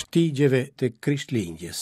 Shtigjeve të Krishtlindjes.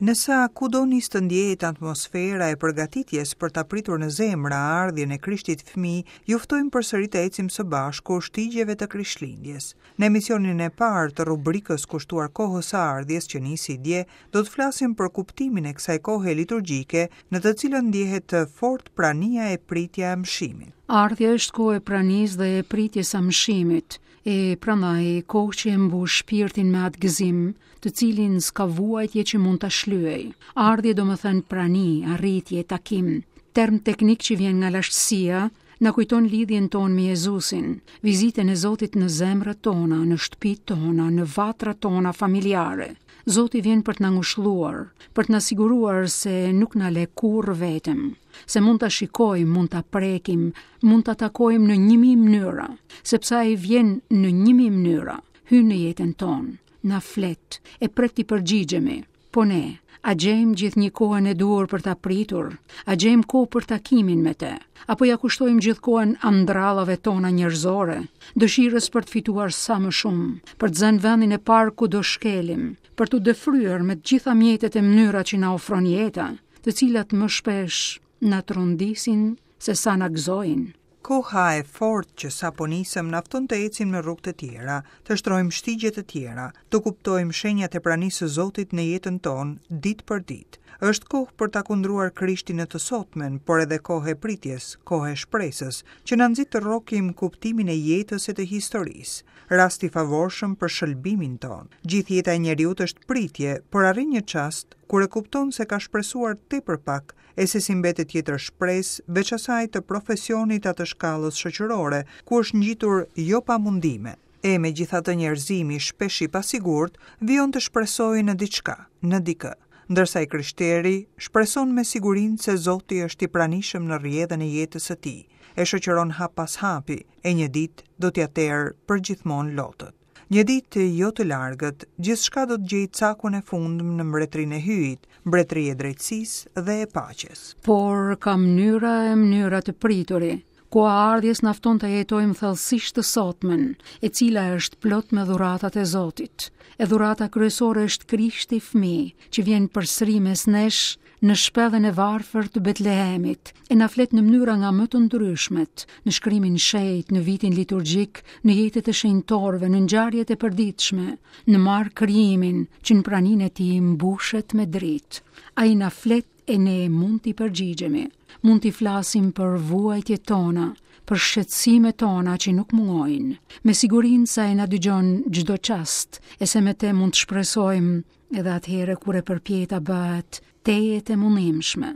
Ndërsa kudo nis të ndjehet atmosfera e përgatitjes për ta pritur në zemra ardhjen e Krishtit fëmijë, ju ftojmë përsëri të ecim së bashku shtigjeve të Krishtlindjes. Në emisionin e parë të rubrikës kushtuar kohës së ardhjes që nisi dje, do të flasim për kuptimin e kësaj kohe liturgjike në të cilën ndjehet fort prania e pritja e amshimit. Ardhja është kohë e pranisë dhe e pritjes së amshimit, e prandaj kohë që e mbush shpirtin me atë gëzim, të cilin s'ka vuajtje që mund ta shlyejë. Ardhje domethënë prani, arritje, takim, term teknik që vjen nga lashtësia, na kujton lidhjen tonë me Jezusin, vizitën e Zotit në zemrat tona, në shtëpitë tona, në vatrat tona familjare. Zoti vjen për të na ngushëlluar, për të na siguruar se nuk na le kurrë vetëm, se mund ta shikojmë, mund ta prekim, mund ta takojmë në 1000 mënyra, sepse ai vjen në 1000 mënyra, hyn në jetën tonë, na flet, e pret t'i përgjigjemi. Po ne, a gjejmë gjithnjë kohën e duhur për ta pritur? A gjejmë kohë për takimin me të? Apo ia kushtojmë gjithë kohën andrallave tona njerëzore, dëshirës për të fituar sa më shumë, për të zënë vendin e parë kudo shkelim, për t'u dëfryer me të gjitha mjetet e mënyrat që na ofron jeta, të cilat më shpesh na trondisin se sa na gëzojnë. Koha e fortë që sapo nisëm na fton të ecim në rrugë të tjera, të shtrojmë shtigje të tjera, të kuptojmë shenjat e pranisë së Zotit në jetën tonë ditë për ditë. Është kohë për ta kundruar Krishtin në të sotmen, por edhe kohë e pritjes, kohë e shpresës, që na nxit të rrokim kuptimin e jetës e të historisë. Rast i favorshëm për shëlbimin tonë. Gjithë jeta e njeriut është pritje, por arrin një çast kur e kupton se ka shpresuar tepër pak e se s'i mbetet tjetër shpresë veç asaj të profesionit a të shkallës shoqërore, ku është ngjitur jo pa mundime. E megjithatë njerëzimi, shpesh i pasigurt, vijon të shpresojë në diçka, në dikë. Ndërsa i krishteri shpreson me sigurinë se Zoti është i pranishëm në rrjedhën e jetës së tij, e shoqëron hap pas hapi, e një ditë do t'ia terë përgjithmonë lotët. Një ditë jo të largët, gjithçka do të gjejë cakun e fundmë në mbretërinë e Hyjit, mbretëri e drejtësisë dhe e paqes. Por ka mënyra e mënyra të prituri. Koha e ardhjes na fton të jetojmë thellësisht të sotmen, e cila është plot me dhuratat e Zotit. E dhurata kryesore është Krishti fëmijë, që vjen përsëri mes nesh në shpellën e varfër të Betlehemit, e na flet në mënyra nga më të ndryshmet, në shkrimin e shenjtë, në vitin liturgjik, në jetët e shenjtorëve, në ngjarjet e përditshme, në mbarë krijimin që në praninë e tij mbushet me dritë. Ai na flet e ne mund t'i përgjigjemi, mund t'i flasim për vuajtjet tona, për shqetësimet tona që nuk mungojnë, me sigurinë se ai na dëgjon çdo çast e se me te mund të shpresojmë edhe atëherë kur e përpjeta bëhet tejet e mundimshme.